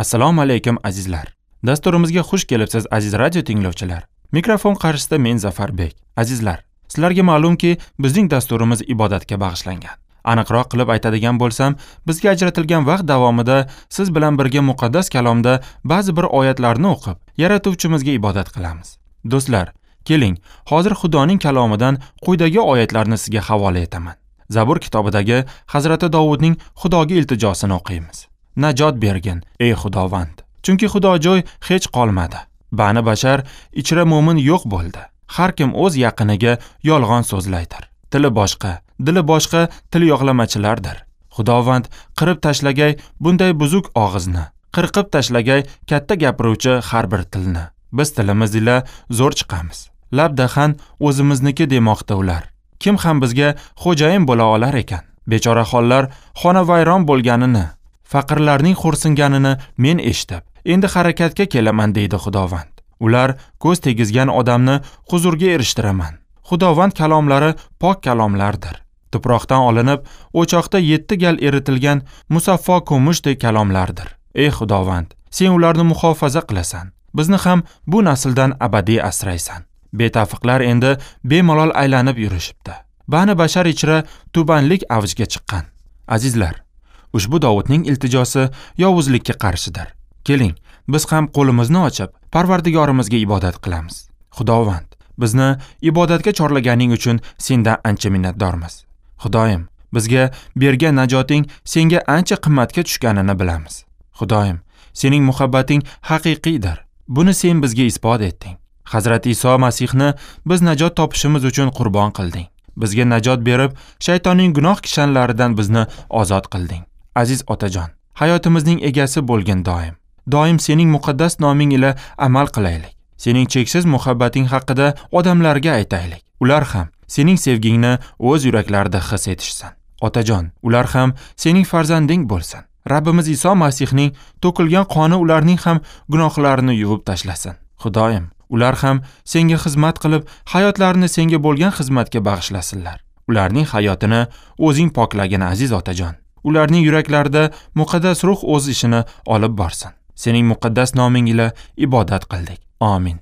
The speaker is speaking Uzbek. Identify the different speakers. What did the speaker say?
Speaker 1: Assalomu alaykum azizlar. Dasturimizga xush kelibsiz aziz radio tinglovchilar. Mikrofon qarshisida men Zafarbek. Azizlar, sizlarga ma'lumki, bizning dasturimiz ibodatga bag'ishlangan. Aniqroq qilib aytadigan bo'lsam, bizga ajratilgan vaqt davomida siz bilan birga muqaddas kalomda ba'zi bir oyatlarni o'qib, yaratuvchimizga ibodat qilamiz. Do'stlar, keling, hozir Xudoning kalomidan quyidagi oyatlarni sizga havola etaman. Zabur kitobidagi Hazrati Dovudning Xudoga iltijosini o'qiymiz. Najot bergin, ey Xudovand. Chunki Xudojo'y hech qolmadi. Bani bashar ichra mo'min yo'q bo'ldi. Har kim o'z yaqiniga yolg'on so'zlaydir. Tili boshqa, dili boshqa til yoqlamachilardir. Xudovand qirib tashlagay bunday buzuk og'izni, qirqib tashlagay katta gapiruvchi har bir tilni. Biz tilimiz ila zo'r chiqamiz. Lab dahan o'zimizniki demoqda ular. Kim ham bizga xo'jayin bo'la olar ekan? Bechora hollar xonavayron bo'lganini, faqirlarning xo'rsinganini men eshitib, endi harakatga kelaman deydi Xudovand. Ular ko'z tegizgan odamni huzurga erishtiraman. Xudovand kalomlari pok kalomlardir. Tuproqdan olinib, o'choqda 7 gal eritilgan musaffo kumushdek kalomlardir. Ey Xudovand, sen ularni muhofaza qilasan. Bizni ham bu nasldan abadiy asraysan. Betafiqlar endi bemalol aylanib yurishibdi. Bani bashar ichra tubanlik avjga chiqqan. Azizlar, ushbu Dovudning iltijosi yovuzlikka qarshidir. Keling, biz ham qo'limizni ochib, Parvardigorimizga ibodat qilamiz. Xudovand, bizni ibodatga chorlaganing uchun sendan ancha minnatdormiz. Xudoyim, bizga bergan najoting senga ancha qimmatga tushganini bilamiz. Xudoyim, sening muhabbating haqiqiydir. Buni sen bizga isbot etding. Hazrat Iso Masihni biz najot topishimiz uchun qurbon qilding. Bizga najot berib, shaytonning gunoh kishanlaridan bizni ozod qilding. Aziz otajon, hayotimizning egasi bo'lgin doim. Doim sening muqaddas noming ila amal qilaylik. Sening cheksiz muhabbating haqida odamlarga aytaylik. Ular ham sening sevgingni o'z yuraklarida his etishsin. Otajon, ular ham sening farzanding bo'lsin. Rabbimiz Iso Masihning to'kilgan qoni ularning ham gunohlarini yuvib tashlasin. Xudoyim, ular ham senga xizmat qilib, hayotlarini senga bo'lgan xizmatga bag'ishlasinlar. Ularning hayotini o'zing poklagin aziz otajon. Ularning yuraklarida muqaddas ruh o'z ishini olib borsin. Sening muqaddas noming ila ibodat qildik. Amin.